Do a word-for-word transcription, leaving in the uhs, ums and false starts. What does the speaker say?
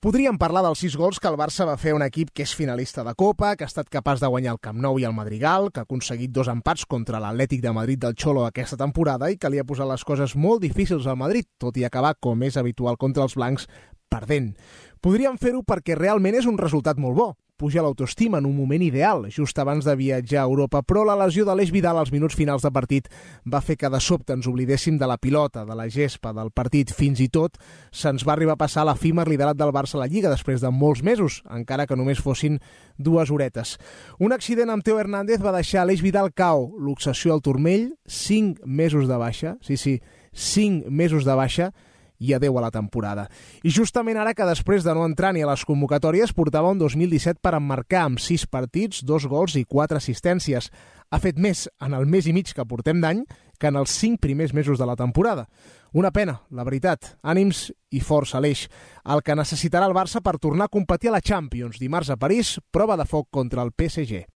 Podríem parlar dels sis gols que el Barça va fer a un equip que és finalista de Copa, que ha estat capaç de guanyar el Camp Nou i el Madrigal, que ha aconseguit dos empats contra l'Atlètic de Madrid del Cholo aquesta temporada i que li ha posat les coses molt difícils al Madrid, tot i acabar, com és habitual contra els blancs, perdent. Podríem fer-ho perquè realment és un resultat molt bo. Puja l'autoestima en un moment ideal, just abans de viatjar a Europa, però la lesió de l'Aleix Vidal als minuts finals de partit va fer que de sobte ens oblidéssim de la pilota, de la gespa, del partit. Fins i tot se'ns va arribar a passar l'efímer liderat del Barça a la Lliga després de molts mesos, encara que només fossin dues horetes. Un accident amb Teo Hernández va deixar Aleix Vidal K O, l'obsessió al turmell, cinc mesos de baixa, sí, sí, cinc mesos de baixa, i adeu a la temporada. I justament ara que després de no entrar ni a les convocatòries portava un dos mil disset per emmarcar amb sis partits, dos gols i quatre assistències. Ha fet més en el mes i mig que portem d'any que en els cinc primers mesos de la temporada. Una pena, la veritat. Ànims i força, Aleix. El que necessitarà el Barça per tornar a competir a la Champions. Dimarts a París, prova de foc contra el P S G.